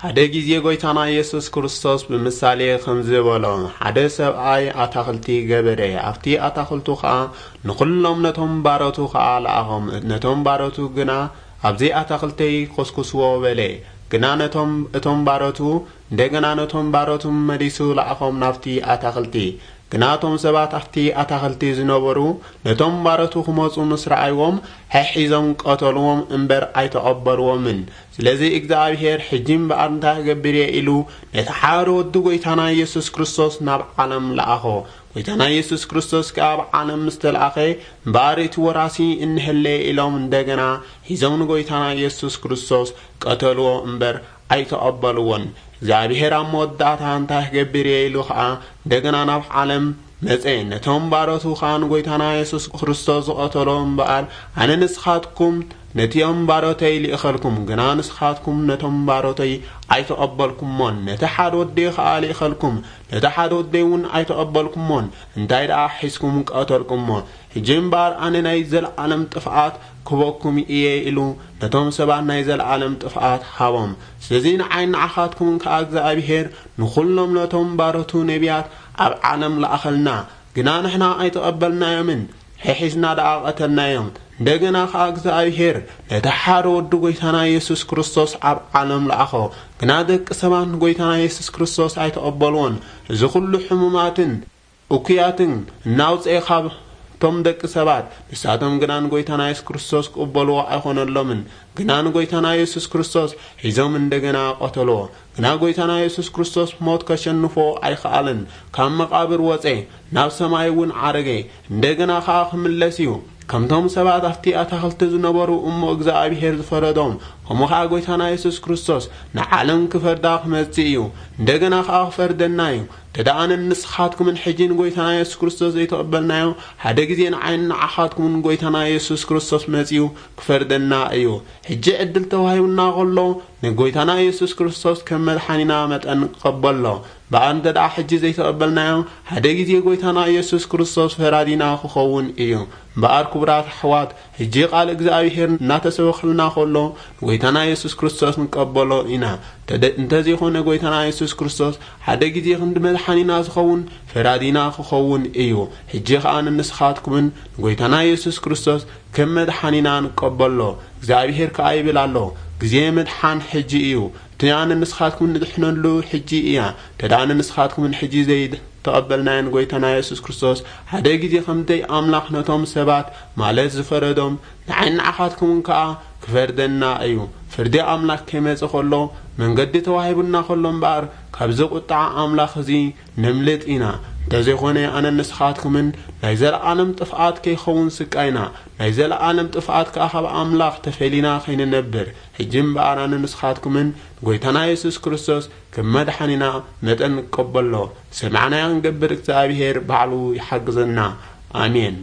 ሓደ ግዜ ጐይታና ኢየሱስ ክርስቶስ ብምሳሌ ከምዚ በሎ፣ ሓደ ሰብኣይ ኣታኽልቲ ገበረ፣ ኣብቲ ኣታኽልቱ ኸኣ ንኹሎም ነቶም ባሮቱ ኸኣ ለኣኾም። ነቶም ባሮቱ ግና፣ ኣብዚ ኣታኽልተይ ኰስኩስዎ በለ። ግና ነቶም፣ እቶም ባሮቱ፣ እንደገና ነቶም ባሮቱ መሊሱ ለኣኾም ናብቲ ኣታኽልቲ። ግና እቶም ሰባት ኣብቲ ኣታኽልቲ ዝነበሩ ነቶም ባሮቱ ክመጹ ምስ ረኣይዎም፣ ሒሒዞም ቀተልዎም እምበር ኣይተቐበልዎምን። ስለዚ እግዚኣብሔር፣ ሕጂ እምበኣር እንታይ ክገብር እየ ኢሉ ነቲ ሓደ ወዱ ጐይታና ኢየሱስ ክርስቶስ ናብ ዓለም ለኣኾ። ጐይታና ኢየሱስ ክርስቶስ ከኣ ኣብ ዓለም ምስ ተለኣኸ፣ እምበኣር እቲ ወራሲ እንሀለየ ኢሎም እንደገና ሒዞም ንጐይታና ኢየሱስ ክርስቶስ ቀተልዎ እምበር ኣይተቐበልዎን። እግዚኣብሔር ኣብ መወዳእታ እንታይ ክገብር እየ ኢሉ ኸኣ እንደገና ናብ ዓለም መጸ። ነቶም ባሮቱ ኸኣ ንጐይታና የሱስ ክርስቶስ ዝቐተሎ እምበኣር፣ ኣነ ንስኻትኩም ነቲኦም ባሮተይ ልኢኸልኩም፣ ግና ንስኻትኩም ነቶም ባሮተይ ኣይተቐበልኩሞን። ነቲ ሓደ ወደይ ኸኣ ልኢኸልኩም፣ ነቲ ሓደ ወደይ እውን ኣይተቐበልኩሞን። እንታይ ደኣ ሒዝኩም ቀተልኩሞ። ሕጂ እምበኣር ኣነ ናይ ዘለዓለም ጥፍኣት ክበኩም እየ ኢሉ ነቶም ሰባት ናይ ዘለዓለም ጥፍኣት ሃቦም። ስለዚ ንዓይ ንዓኻትኩምን ከኣ እግዚኣብሔር ንኹሎም ነቶም ባሮቱ ነቢያት ኣብ ዓለም ለኣኸልና፣ ግና ንሕና ኣይተቐበልናዮምን፣ ሒሒዝና ደኣ ቀተልናዮም። እንደገና ከኣ እግዚኣብሔር ነቲ ሓደ ወዱ ጐይታና ኢየሱስ ክርስቶስ ኣብ ዓለም ለኣኾ። ግና ደቂ ሰባት ንጐይታና ኢየሱስ ክርስቶስ ኣይተቐበልዎን። እዚ ኹሉ ሕሙማትን እኩያትን እናውፅኤ ካብቶም ደቂ ሰባት፣ ንሳቶም ግና ንጎይታና የሱስ ክርስቶስ ክቕበልዎ ኣይኾነሎምን። ግና ንጎይታና የሱስ ክርስቶስ ሒዞም እንደገና ቀተልዎ። ግና ጎይታና የሱስ ክርስቶስ ሞት ከሸንፎ ኣይኸኣለን። ካብ መቓብር ወፀ፣ ናብ ሰማይ እውን ዓረገ። እንደገና ኸዓ ክምለስ እዩ። ከምቶም ሰባት ኣብቲ ኣታኽልቲ ዝነበሩ እሞ እግዚኣብሔር ዝፈረዶም፣ ከምኡ ኸዓ ጎይታና የሱስ ክርስቶስ ንዓለም ክፈርዳ ክመጽእ እዩ። እንደገና ኸዓ ክፈርደና እዩ። ተደኣ ኣነን ንስኻትኩምን ሕጂ ንጎይታና የሱስ ክርስቶስ ዘይተቐበልናዮ፣ ሓደ ግዜ ንዓይን ንዓኻትኩምን ጎይታና የሱስ ክርስቶስ መጺኡ ክፈርደና እዩ። ሕጂ ዕድል ተዋሂቡና ኸሎ፣ ንጎይታና የሱስ ክርስቶስ ከም መድሓኒና መጠን ንቀበሎ። እምበኣር እንተ ደኣ ሕጂ ዘይተቐበልናዮ፣ ሓደ ግዜ ጎይታና የሱስ ክርስቶስ ፈራዲና ክኸውን እዩ። እምበኣር ክቡራት ኣሕዋት፣ ሕጂ ቃል እግዚኣብሔር እናተሰበኸልና ኸሎ፣ ንጎይታና የሱስ ክርስቶስ ንቀበሎ ኢና። እንተ-፣ እንተዘይኮነ ጎይታና የሱስ ክርስቶስ ሓደ ግዜ ክንዲ መድሓኒና ዝኸውን ፈራዲና ክኸውን እዩ። ሕጂ ኸኣ ንንስኻትኩምን ንጎይታና የሱስ ክርስቶስ ከም መድሓኒና ንቀበሎ። እግዚኣብሔር ከኣ ይብል ኣሎ፣ ግዜ ምድሓን ሕጂ እዩ። እቲ ኣነ ንስኻትኩም ንድሕነሉ ሕጂ እያ። እንተ ደኣ ንስኻትኩምን ሕጂ ዘይተቐበልናዮን ጎይታና የሱስ ክርስቶስ ሓደ ግዜ ከምደይ ኣምላኽ ነቶም ሰባት ማለት ዝፈረዶም፣ ንዓይን ንዓኻትኩምን ከኣ ክፈርደና እዩ። ፍርዲ ኣምላኽ ከይመጸ ከሎ መንገዲ ተዋሂቡና ከሎ እምበኣር፣ ካብዚ ቁጥዓ ኣምላኽ እዚ ነምልጥ ኢና። እንተዘይኮነ ኣነን ንስኻትኩምን ናይ ዘለዓለም ጥፍኣት ከይኸውን ስቃይና፣ ናይ ዘለዓለም ጥፍኣት ከኣ ካብ ኣምላኽ ተፈሊና ከይንነብር፣ ሕጂ እምበኣር ኣነን ንስኻትኩምን ጎይታና የሱስ ክርስቶስ ከም መድሓኒና መጠን ንቀበሎ። ሰማዕናዮ ክንገብር እግዚኣብሔር ባዕሉ ይሓግዘና። ኣሜን።